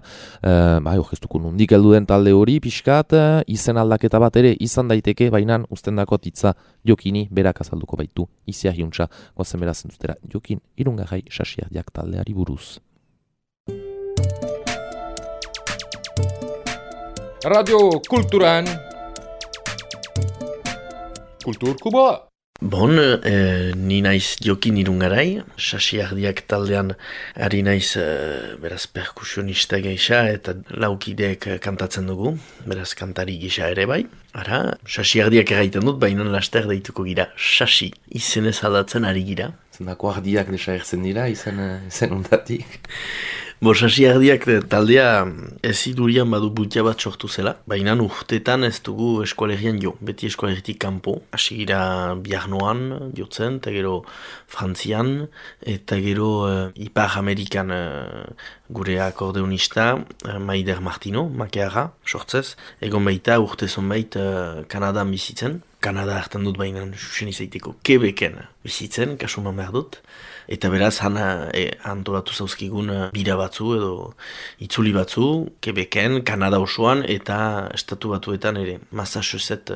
C: aurkeztuko nundik heldu den talde hori, pixkat, izen aldaketa bat ere izan daiteke, bainan ustendako titza jokini berak azalduko baitu, iziahiuntza, gozen berazen dutera, jokin, irungarrai sasiardiak taldeari buruz.
A: Radio Kulturan Kultur Kuboa.
F: Bon, ni naiz Jokin Irungarai, sasiardiak taldean ari naiz beraz perkusionista geisha eta laukideek kantatzen dugu, beraz kantari gisa ere bai. Ara, sasiardiak erraiten dut, baina laster deituko gira, sasi, izenez aldatzen ari gira.
C: Zendako ardiak desagertzen dira, izen ondatik.
F: Sasiardiak taldea ezidurian badu bultia bat sortu zela, baina urtetan ez dugu eskualerian jo, beti eskualeritik kanpo. Hasi gira Biarnoan jotzen, eta gero Frantzian, eta gero Ipar Amerikan gure akordeonista Maider Martino, makeara, sortzez. Egon baita urte zonbait Kanadan bizitzen. Kanada hartan dut baina susen izaiteko Quebecen bizitzen, kasuman behar dut. Eta beraz, antolatu zauzkigun bira batzu edo itzuli batzu, Quebecen, Kanada osoan eta estatu batuetan ere, Massachusetts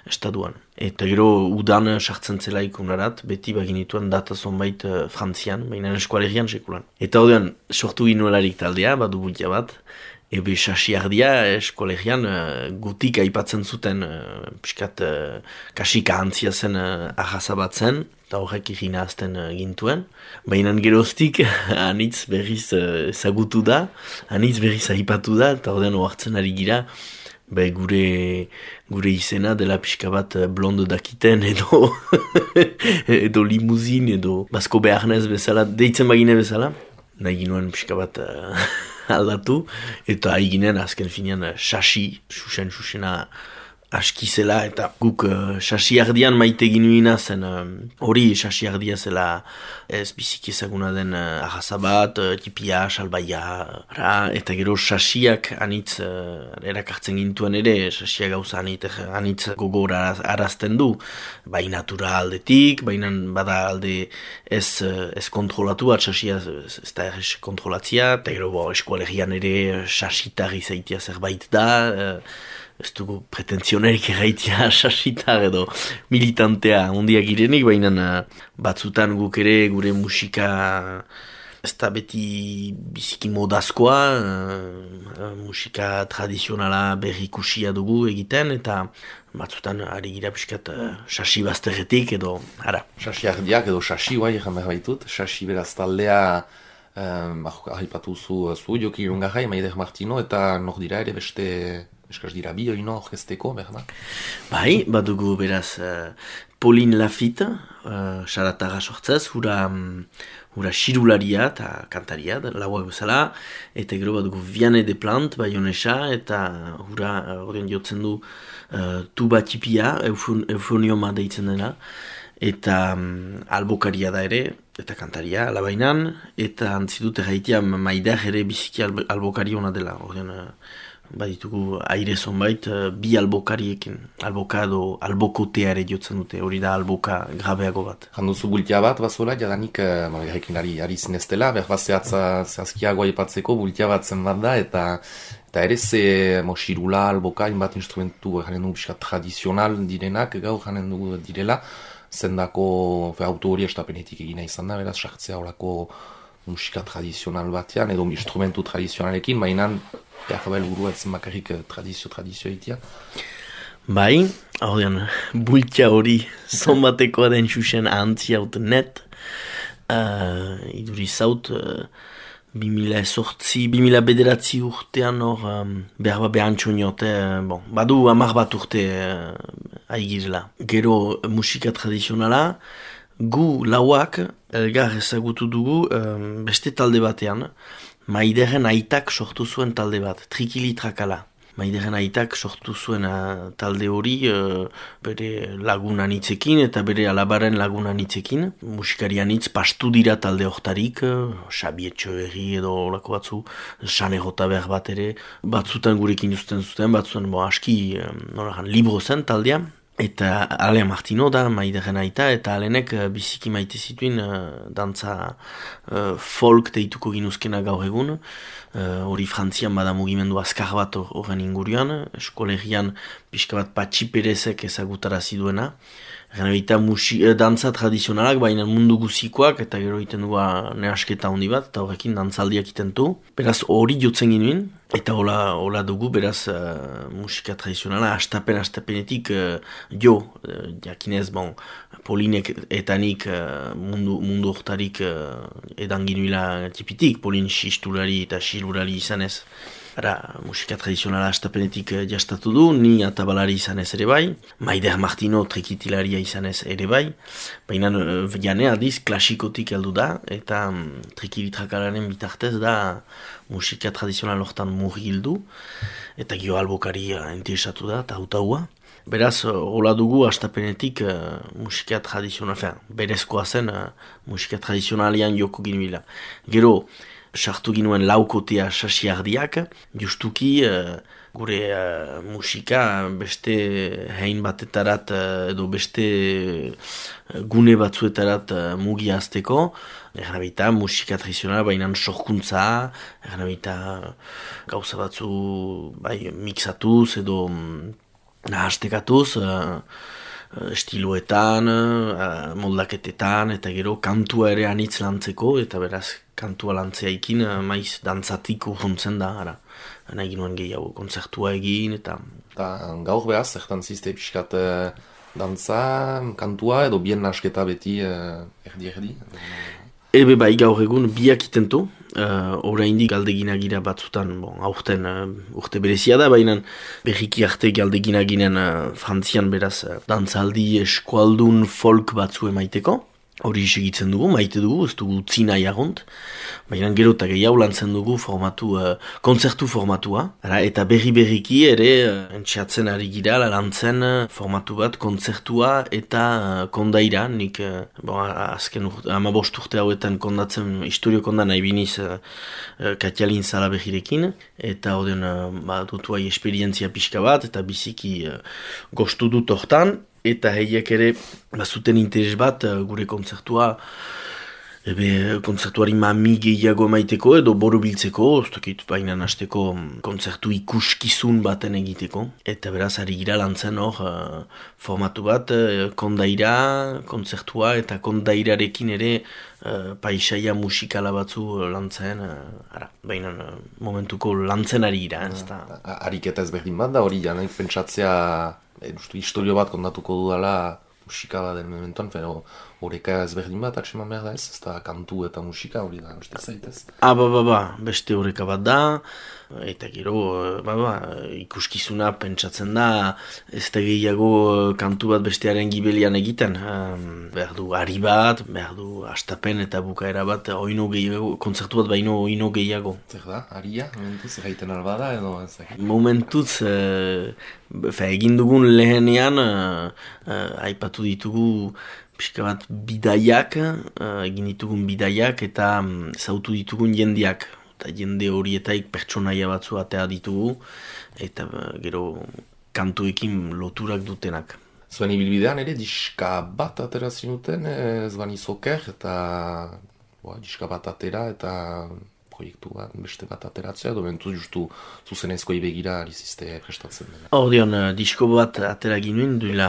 F: estatuan. Eta gero udan sartzen zela ikunarat, beti baginituen data zonbait Frantzian, baina eskualerian sekulan. Eta ordean, sortu ginuelarik taldea, badu bultia bat, ebe sasiardia eskolerian gutik aipatzen zuten piskat kasika antzia zen ahazabatzen, eta horrek irina azten gintuen. Baina geroztik anitz berriz ezagutu da, anitz berriz aipatu da, eta ordean oartzen ari gira, gure izena dela pixka bat blondo dakiten edo limuzin edo basko beharnez bezala, deitzen bagine bezala. Nahi ginoen pixka bat aldatu, eta haiginen azken finean sasi, susena askizela, eta guk sasiardian maite ginuina zen, hori sasiardia zela ez biziki ezaguna den arrazabat, tipia, salbaia, eta gero sasiak anitz erakartzen gintuen ere, sasia gauza anitz gogora arazten du, bai natura aldetik, baina bada alde ez kontrolatu bat, sasia ez da errez kontrolatzia, eta gero eskualerian ere sasitarri zaitia zerbait da, ez dugu pretentzionerik erraitia sasitar edo militantea ondiak girenik, baina batzutan guk ere gure musika ez da beti biziki modazkoa, musika tradizionala berrikusia dugu egiten, eta batzutan ari gira piskat sasi bazterretik edo, ara.
C: Sasiardiak edo sasi guai egan behar baitut, sasi beraz taldea haipatu zu Jokin Irungarrai, Maider Martino, eta nok dira ere beste eskaz dira bi oino orkesteko, behar da?
F: Bai, badugu beraz Pauline Lafitte, xaratarra sortzez, hura xirularia eta kantaria, lauak bezala, eta gero badugu Vianney de Plante, baionesa, eta hura ordean jotzen du tuba tipia, eufonioma deitzen dena, eta albokaria da ere, eta kantaria, alabainan, eta antzidut erraitea Maider ere biziki albokari hona dela, ordean baditugu aire zonbait bi albokariekin, alboka edo albokotea ere jotzen dute, hori da alboka grabeago bat.
C: Janduzu bultia bat, bazola, jadanik garrekin ari zineztela, behar bat zehazkiagoa ipatzeko bultia bat zen bat da, eta Eta ere ze xirula, alboka, inbat instrumentu janen dugu pixka tradizional direnak, gaur janen dugu direla, zendako auto hori estapenetik egina izan da, beraz, sartzea horako musika tradizional batean, edo instrumentu tradizionalekin, baina behar burua etzen bakarrik tradizio egitea.
F: Bai, hau dean, bultia hori zonbatekoa den xuxen ahantzi haut net, iduri zaut, 2000 bederatzi urtean hor, behar behantxo niote, badu 10 bat urte aigirela. Gero musika tradizionala, gu lauak elgar ezagutu dugu beste talde batean, Maideren aitak sortu zuen talde bat, Trikili Trakala. Maideren aitak sortu zuen talde hori bere lagunan hitzekin eta bere alabaren lagunan hitzekin. Musikarian hitz pastu dira talde hortarik, Xabi Etxeberri edo olako batzu, Sane Jota behar bat ere, batzutan gurekin uzten zuten, batzutan aski libro zen taldea. Eta Alea Martino da, Maideren aita, eta Alenek biziki maite zituen dantza folk deituko ginuzkena gaur egun. Hori Frantzian bada mugimendu azkar bat horren ingurian, eskolegian pixka bat Patxi Perezek ezagutarazi duena. Eta dantza tradizionalak, baina mundu guzikoak, eta gero egiten dugu nehasketa handi bat, eta horrekin dantzaldiak egiten du. Beraz hori jotzen ginuen, eta hola dugu, beraz musika tradizionala astapenetik jakinez, Polinek eta nik mundu hortarik edan ginuela tipitik, Polin xistulari eta xilurari izanez. Musika tradizionala astapenetik jastatu du, ni atabalari izanez ere bai, Maider Martino trikitilaria izanez ere bai, baina jane aldiz klasikotik heldu da, eta Trikilitrakalaren bitartez da musika tradizional hortan murgildu, eta gio albokari interesatu da, eta hautaua. Beraz, hola dugu astapenetik musika tradizional, berezkoa zen musika tradizionalian joko ginuela. Gero, sartu ginuen laukotea sasiardiak, justuki gure musika beste hein batetarat edo beste gune batzuetarat mugiazteko, errabita musika tradizionala bainan sorkuntza, errabita gauza batzu mixatuz edo nahastekatuz, estiloetan, moldaketetan, eta gero kantua ere anitz lantzeko, eta beraz kantua lantzeaikin maiz dantzatik urruntzen da, nahi ginoen gehiago kontzertua egin, eta...
C: Gaur behaz, zertan zizte pixkat dantza, kantua edo bien nasketa beti erdi-erdi?
F: Ebe bai gaur egun biak itentu, oraindik galdeginagira batzutan, aurten urte berezia da, baina berriki arte galdeginaginen Frantzian beraz dantzaldi eskualdun folk batzu emaiteko. Hori segitzen dugu, maite dugu, ez dugu utzi nahi agont, baina gero eta gehiago lantzen dugu kontzertu formatua, eta berriki ere entxeatzen ari gira lantzen formatu bat kontzertua eta kondaira, nik azken 15 urte hauetan kondatzen, historio konda nahi biniz Katialin Zalabegirekin, eta oden dutuai esperientzia pixka bat, eta biziki gostu dut hortan, eta heiek ere bazuten interes bat gure kontzertua kontzertuari mami gehiago emaiteko edo borobiltzeko, baina hasteko kontzertu ikuskizun baten egiteko. Eta beraz ari gira lantzen hor formatu bat kondaira, kontzertua eta kondairarekin ere paisaia musikala batzu lantzen, baina momentuko lantzen ari gira.
C: Ariketa ezberdin bat da hori janek pentsatzea historio bat kontatuko dudala musika bat den momentuan, horreka ezberdin bat atseman behar da ez da kantu eta musika hori da, beste zaitez?
F: Beste horreka bat da, eta gero ikuskizuna pentsatzen da, ez da gehiago kantu bat bestearen gibelian egiten, behar du ari bat, behar du astapen eta bukaera bat, kontzertu bat baino oino gehiago.
C: Zer da, aria, momentuz, erraiten alba da edo ezak?
F: Momentuz, egin dugun lehenean, aipatu ditugu pixka bat bidaiak, egin ditugun bidaiak eta zautu ditugun jendeak. Eta jende horietaik pertsonaia batzu atea ditugu eta gero kantuekin loturak dutenak.
C: Zuen ibilbidean ere diska bat ateratzen duten, Zvani Soker eta diska bat atera eta proiektu bat, beste bat ateratzea, edo bentu justu zuzenezkoi begira alizizte prestatzen dena.
F: Ordeon, disko bat atera ginuen duela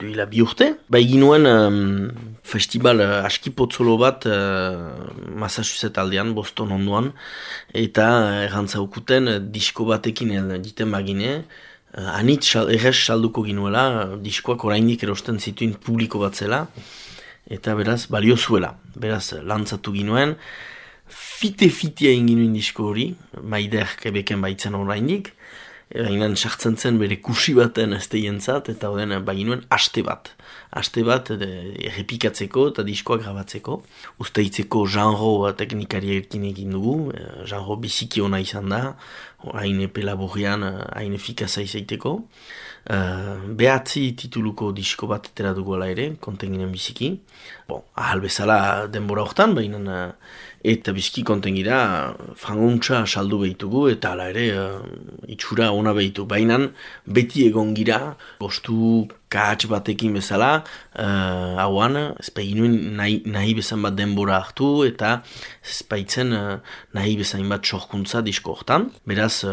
F: 2 urte. Bai ginuen festival askipotzolo bat Massachusetts aldean, Boston ondoan, eta errantzaukuten disko batekin egiten bagine, anitz errez salduko ginuela, diskoak oraindik erosten zituen publiko bat zela, eta beraz balio zuela. Beraz lantzatu ginuen, fite-fitea inginuen disko hori, Maider Quebecen baitzen oraindik, Egin sartzen zen bere kusi baten esteientzat, eta oden baginuen aste bat errepikatzeko eta diskoak grabatzeko. Uzteitzeko genre teknikariekin egin dugu, genre biziki ona izan da, hain epe laborrean, hain efikaza izaiteko. 9 tituluko disko bat etera dugu ala ere, konten ginen biziki. Ahal bezala denbora hortan, baina eta biziki konten gira frangontza saldu behitugu, eta ala ere itxura ona behitu. Baina beti egon gira, gostu kahatz batekin bezala, hauan, ezpaiginuen nahi bezan bat denbora hartu, eta ezpaitzen nahi bezain bat sorkuntza disko hortan. Beraz,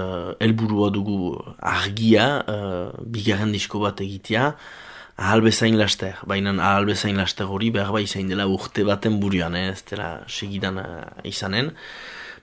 F: helburua dugu argia, bigarren disko bat egitea, ahal bezain laster, baina ahal bezain laster hori behar izain dela urte baten buruan, ez dela segidan izanen.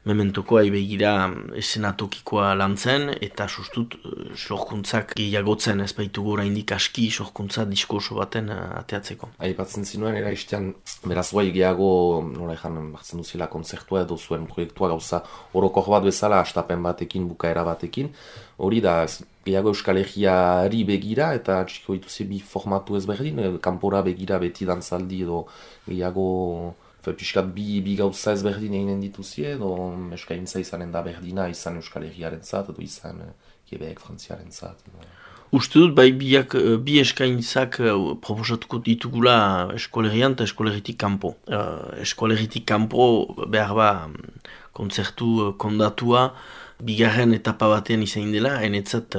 F: Mementoko aibegira esenatokikoa lantzen, eta sustut sorkuntzak gehiagotzen ez baitugu oraindik aski sorkuntza disko oso baten ateatzeko.
C: Aipatzen zinuen, eraistean, beraz guai gehiago, nola ezan, hartzen duzila kontzertua edo zuen proiektua gauza orokor bat bezala, astapen batekin, bukaera batekin. Hori da, gehiago Euskal Herriari begira, eta txiko dituzi bi formatu ezberdin, kanpora begira beti dantzaldi edo gehiago... Piskat bi gauza ezberdin eginen dituzie, edo eskaintza izanen da berdina, izan Euskal Herriaren zat, edo izan Quebec, Frantziaren zat.
F: Uste dut, bai bi eskaintzak proposatuko ditugula eskolegian eta eskolegitik kanpo. Eskolegitik kanpo behar kontzertu kondatua, bigarren etapa batean izan dela, enetzat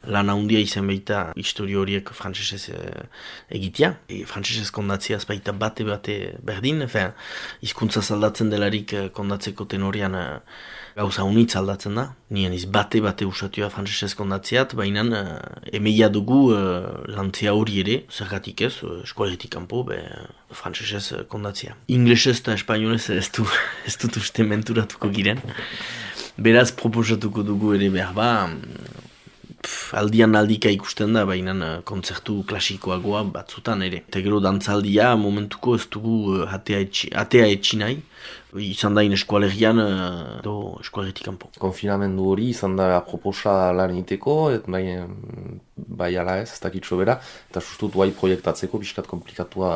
F: lan handia izan baita historio horiek frantsesez egitea. Frantsesez kondatziaz baita bate berdin, hizkuntza aldatzen delarik kondatzeko tenorian gauza unitz aldatzen da. Nien bate usatua frantsesez kondatziat, baina emeia dugu lantzea hori ere, zergatik ez, eskolegitik kanpo, frantsesez kondatzia. Inglesez eta espainolez ez dut uste menturatuko giren. Beraz, proposatuko dugu ere behar aldian aldika ikusten da, baina kontzertu klasikoagoa batzutan ere. Eta gero dantzaldia momentuko ez dugu atea etxi nahi, izan da eskualerian edo eskualeretik kanpo.
C: Konfinamendu hori izan da proposa lan egiteko, bai ala ez dakitxo bera, eta sustut guai proiektatzeko pixkat komplikatua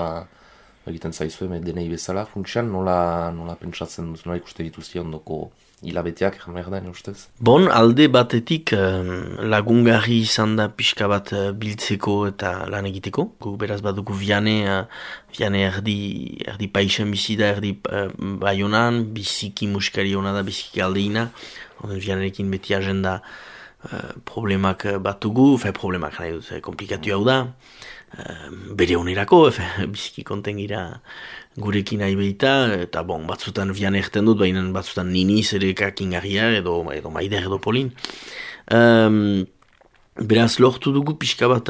C: egiten zaizue denei bezala, funtsian nola pentsatzen duz, nola ikuste dituzia ondoko hilabeteak, merdan, ustez?
F: Alde batetik lagungarri izan da pixka bat biltzeko eta lan egiteko. Beraz badugu Viane erdi paixen bizi da, erdi Baionan, biziki musikari hona da, biziki aldeina. Vianerekin beti agenda problemak batugu, problemak nahi dut, komplikatu hau da. Bere onerako, biziki konten gira gurekin nahi behita, eta batzutan Viane erten dut, baina batzutan niniz ere kakingarria edo Maider edo Polin. Beraz lortu dugu pixka bat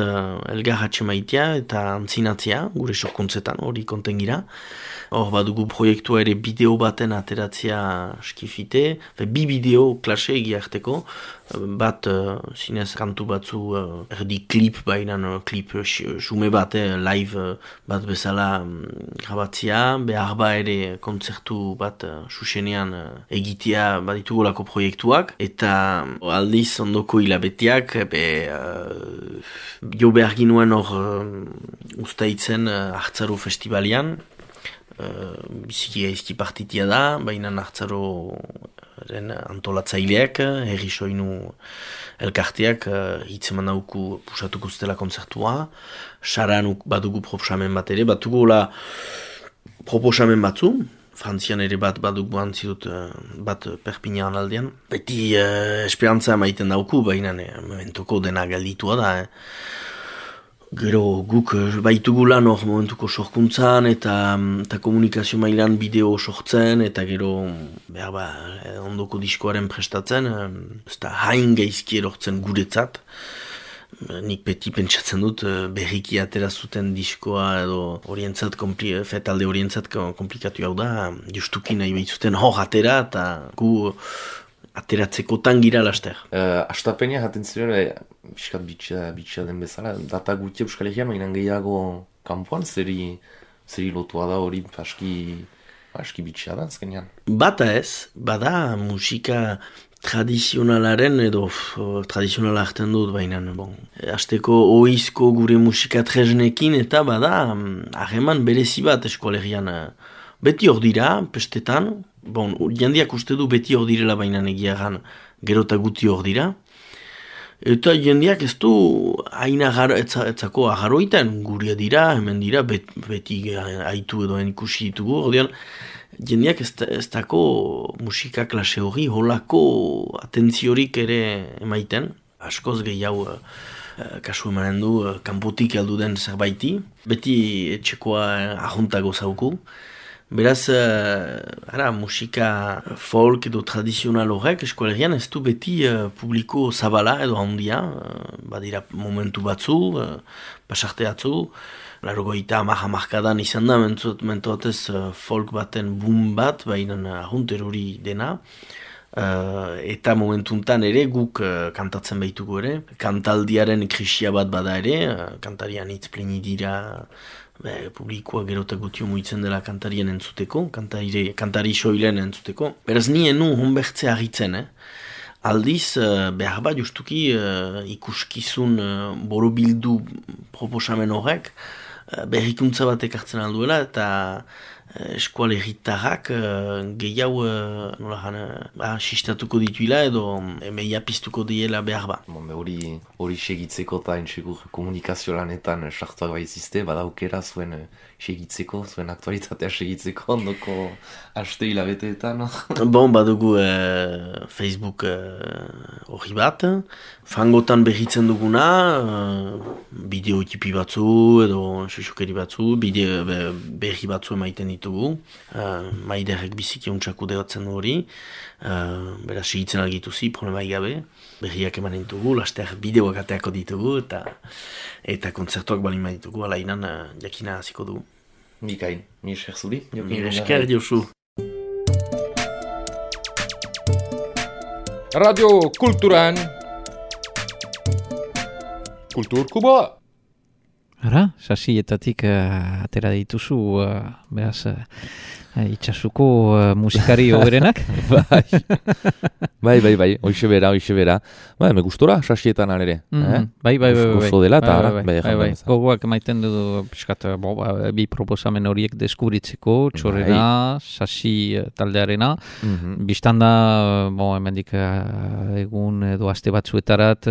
F: elgarratxe maitea eta antzinatzea, gure sorkuntzetan hori konten gira. Hor badugu proiektua ere bideo baten ateratzea skifite, bi bideo klase egiarteko, bat zinez kantu batzu erdi klip, baina klip xume bat, live bat bezala grabatzea, behar ere kontzertu bat xuxenean egitea baditugolako proiektuak, eta aldiz ondoko hilabeteak, jo behar ginuen hor ustaitzen Hartzaro festivalian, biziki gaizki partitia da, baina Hartzaroren antolatzaileak, herri soinu elkarteak hitzeman dauku pusatuko zutela kontzertua, saran badugu proposamen bat ere, batugu proposamen batzu, Frantzian ere bat badugu antzidut bat Perpignan aldean. Beti esperantza maiten dauku, baina mementoko dena galditua da. Gero guk baitugu lan hor momentuko sorkuntzan eta komunikazio mailan bideo sortzen eta gero ondoko diskoaren prestatzen, ez da hain gaizki erortzen guretzat. Nik beti pentsatzen dut berriki atera zuten diskoa edo talde horientzat komplikatu hau da, justuki nahi behitzuten hor atera eta gu ateratzeko tangira laster.
C: Astapenia jaten ziren, biskat bitxa den bezala, data guti Euskal Herrian, mainan gehiago kanpoan, zeri lotua da hori aski bitxa da, azkenean.
F: Bata ez, bada musika tradizionalaren edo tradizionala hartzen dut baina, hasteko oizko gure musika tresnekin eta bada harreman berezi bat Euskal Herrian. Beti hor dira, pestetan, jendeak uste du beti hor direla baina egiagan gero eta guti hor dira. Eta jendeak ez du hain etzako agarroitan guria dira, hemen dira, beti aitu edo ikusi ditugu. Ordean, jendeak ez dako musika klase hori holako atentziorik ere emaiten. Askoz gehiago kasu emanen du kanpotik heldu den zerbaiti. Beti etxekoa ahuntago zauku. Beraz, musika folk edo tradizional horrek Euskal Herrian ez du beti publiko zabala edo handia, badira momentu batzu, pasarte batzu, 80-hamarkadan izan da, mentoatez folk baten boom bat, baina ahunt erori dena, eta momentuntan ere guk kantatzen behitugu ere, kantaldiaren krisia bat bada ere, kantarian hitz pleni dira, publikoa gerota gutio muitzen dela kantarien entzuteko, kantari soilen entzuteko. Beraz nien nu honbertze agitzen, aldiz behar bat justuki ikuskizun borobildu proposamen horrek berrikuntza batek hartzen alduela eta eskual herritarrak gehiago sistatuko dituila edo meia piztuko diela behar ba.
C: Hori segitzeko eta entxegur komunikazio lanetan sartuak baizizte, badaukera zuen segitzeko, zuen aktualitatea segitzeko ondoko haste hilabeteetan.
F: Badugu Facebook hori bat, fangotan berritzen duguna, bideo ekipi batzu edo susukeri batzu, berri batzu emaiten ditugu, maiderrek biziki ontsaku degatzen du hori, beraz segitzen algituzi, problema gabe, berriak emanen ditugu, laster bideoak ateako ditugu eta kontzertuak balin ditugu, alainan jakina hasiko dugu.
C: Mikain, mi esker zuri.
F: Mi esker Josu.
A: Radio Kulturan Kulturkuboa.
D: Ara, sasietatik atera dituzu, beraz, itxasuko musikari hoberenak.
C: Bai, hoxe bera. Me gustora, sasietan alere.
D: Bai.
C: Oso dela, eta
D: bai. Gogoak maiten du, piskat, bi proposamen horiek deskubritzeko, txorrena, sasi taldearena. Bistanda, hemendik egun edo aste batzuetarat,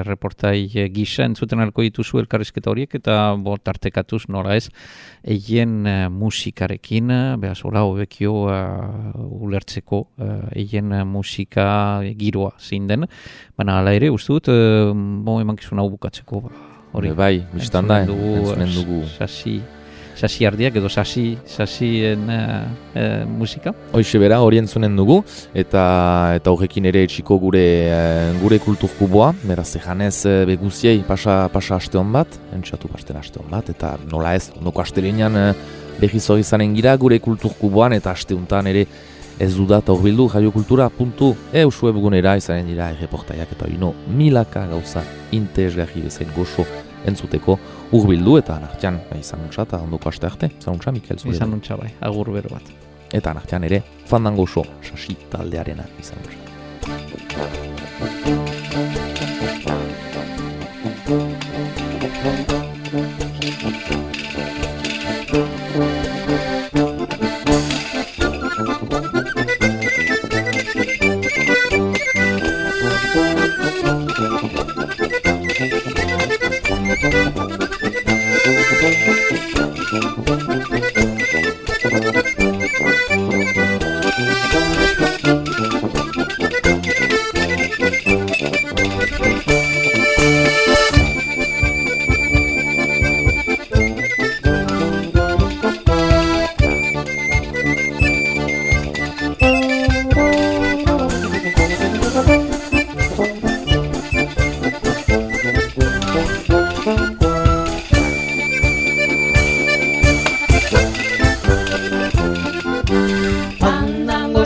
D: reportai gisa entzuten alko dituzu elkarrizketa horiek, eta tartekatuz nora ez, eien musikarekin, beraz, hola hobekio ulertzeko, eien musika giroa zein den, baina hala ere, uste dut, emankizun hau bukatzeko hori.
C: Bai, biztanda, entzunen dugu.
D: Sasi ardiak edo sasien musika.
C: Hoixe bera, hori entzunen dugu, eta horrekin ere etxiko gure kulturkuboa, beraz ejanez beguziei pasa aste hon bat, entxatu pasten aste hon bat, eta nola ez, ondoko astelenean behiz hori zanen gira gure kulturkuboan, eta asteuntan ere ez dudat horbildu radiokultura.eu webgunera izanen dira erreportaiak eta hori milaka gauza interesgarri bezain goxo entzuteko urbildu eta anartian izan untsa eta ondoko aste arte, izan untsa Mikel zure.
D: Izan untsa bai, agur bero bat.
C: Eta anartian ere fandan goxo sasi taldearena izan untsa.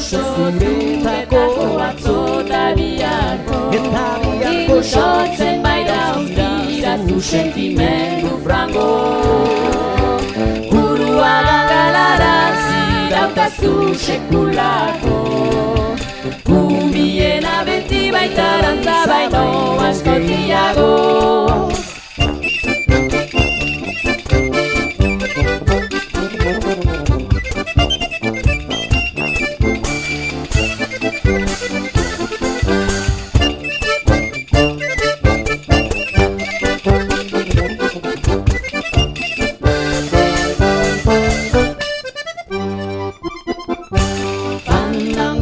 G: goxo zuretako atzo eta biharko sortzen baita onzirazu sentimendu frango burua galarazi dautazu sekulako gubiena beti baita rantza baino askotiago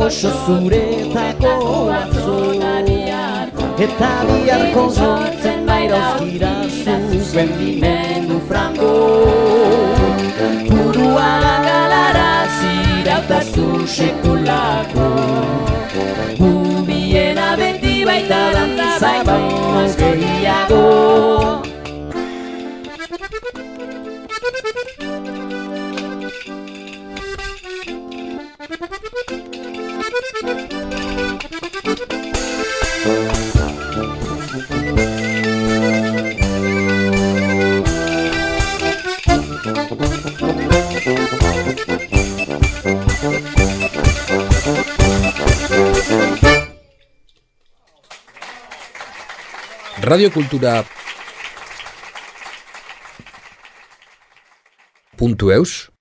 G: goxo zuretako atzo eta biharko sortzen bairauzkira zuen dimendu frango burua galarazi dautazu sekulako gubiena beti baita dantza baino askotiago
A: Radiokultura.eus